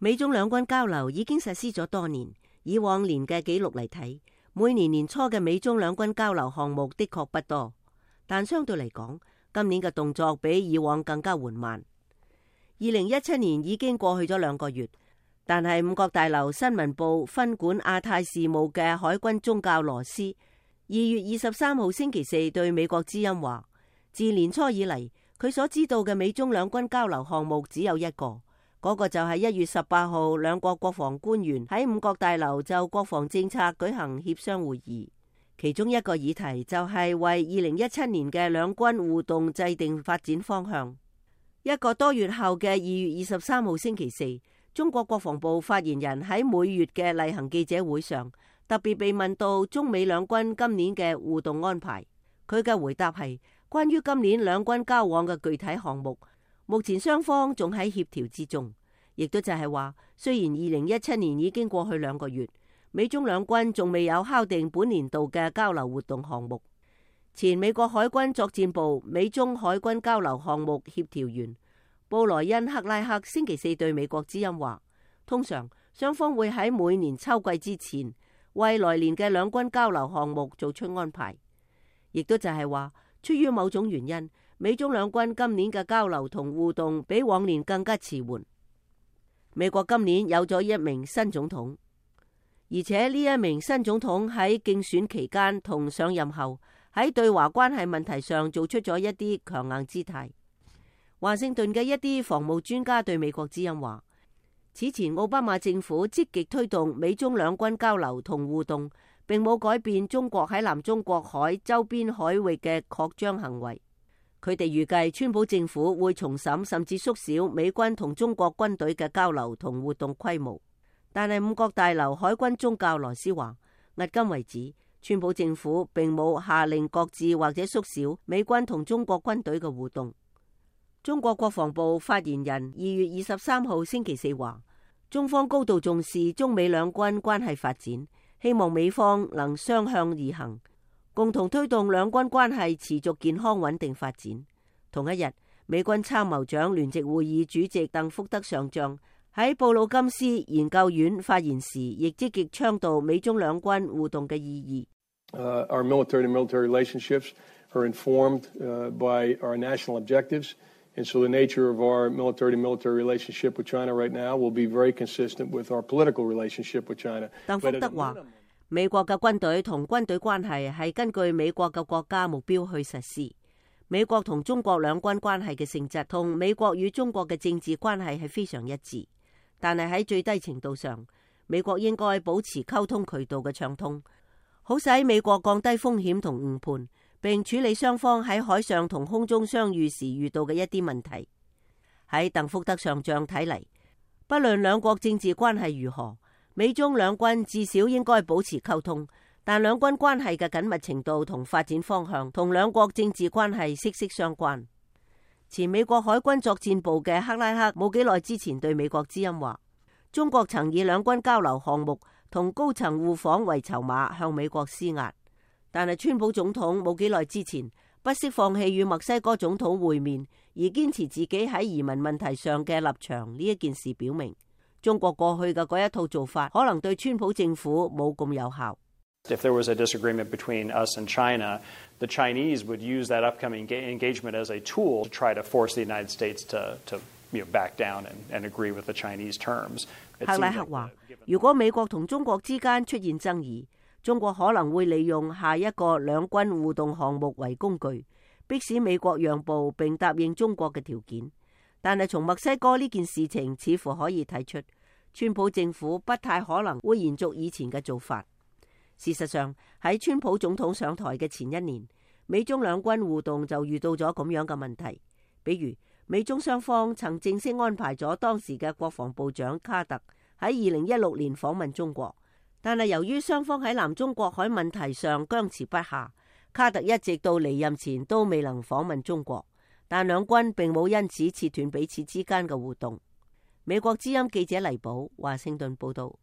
美中兩軍交流已經實施咗多年，以往年嘅紀錄嚟睇，每年年初嘅美中兩軍交流項目的確不多，但相對嚟講，今年嘅動作比以往更加緩慢。2017年已經過去咗2個月，但係五角大樓新聞部分管亞太事務嘅海軍宗教羅斯2月23號星期四對美國之音話，自年初以嚟，佢所知道嘅美中兩軍交流項目只有一個，嗰個就係1月18號兩國國防官員喺五角大樓就國防政策舉行協商會議，其中一個議題就係為2017年嘅兩軍互動制定發展方向。1個多月後嘅2月23號星期四，中國國防部發言人喺每月嘅例行記者會上，特別被問到中美兩軍今年嘅互動安排，佢嘅回答係關於今年兩軍交往嘅具體項目，目前雙方仲喺協調之中，亦都就係話，雖然2017年已經過去2個月，美中兩軍仲未有敲定本年度嘅交流活動項目。前美國海軍作戰部美中海軍交流項目協調員布萊恩克拉克星期四對美國之音話，通常雙方會喺每年秋季之前為來年嘅兩軍交流項目做出安排，亦都就係話，出於某種原因，美中兩軍今年嘅交流同互動比往年更加遲緩。美國今年有咗一名新總統，而且呢一名新總統喺競選期間同上任後喺對華關係問題上做出咗一啲強硬姿態。華盛頓嘅一啲防務專家對美國之音話，此前奧巴馬政府積極推動美中兩軍交流同互動，並冇改變中國喺南中國海周邊海域嘅擴張行為。佢哋預計川普政府會重審甚至縮小美軍同中國軍隊嘅交流同活動規模。但係五角大樓海軍宗教羅斯話，迄今為止，川普政府並冇下令擱置或者縮小美軍同中國軍隊嘅互動。中國國防部發言人2月23號星期四話，中方高度重視中美兩軍關係發展，希望美方能雙向而行，共同推動兩軍關係持續健康穩定發展。同一日，美軍參謀長聯席會議主席鄧福德上將喺布魯金斯研究院發言時，亦積極倡導美中兩軍互動嘅意義。Our military-to-military relationships are informed by our national objectives, and so the nature of our military-to-military relationship with China right now will be very consistent with our political relationship with China. 鄧福德話，美國嘅軍隊同軍隊關係係根據美國嘅國家目標去實施。美國同中國兩軍關係嘅性質同美國與中國嘅政治關係係非常一致。但係喺最低程度上，美國應該保持溝通渠道嘅暢通，好使美國降低風險同誤判，並處理雙方喺海上同空中相遇時遇到嘅一啲問題。喺鄧福德上將睇嚟，不論兩國政治關係如何，美中兩軍至少應該保持溝通，但兩軍關係嘅緊密程度同發展方向同兩國政治關係息息相關。前美國海軍作戰部嘅克拉克冇幾耐之前對美國之音話，中國曾以兩軍交流項目同高層互訪為籌碼向美國施壓，但係川普總統冇幾耐之前不惜放棄與墨西哥總統會面，而堅持自己喺移民問題上嘅立場。呢一件事表明，中國過去嘅嗰一套做法可能對川普政府冇咁有效。If there was a disagreement between us and China, the Chinese would use that upcoming engagement as a tool to try to force the United States to back down and agree with the Chinese terms. 克拉克話，如果美國同中國之間出現爭議，中國可能會利用下一個兩軍互動項目為工具，迫使美國讓步並答應中國嘅條件。但係從墨西哥呢件事情似乎可以睇出，川普政府不太可能會延續以前嘅做法。事實上，喺川普總統上台嘅前一年，美中兩軍互動就遇到咗咁樣嘅問題。比如，美中雙方曾正式安排咗當時嘅國防部長卡特喺2016年訪問中國，但係由於雙方喺南中國海問題上僵持不下，卡特一直到離任前都未能訪問中國，但兩軍並冇因此切斷彼此之間嘅互動。美國之音記者黎寶華盛頓報道。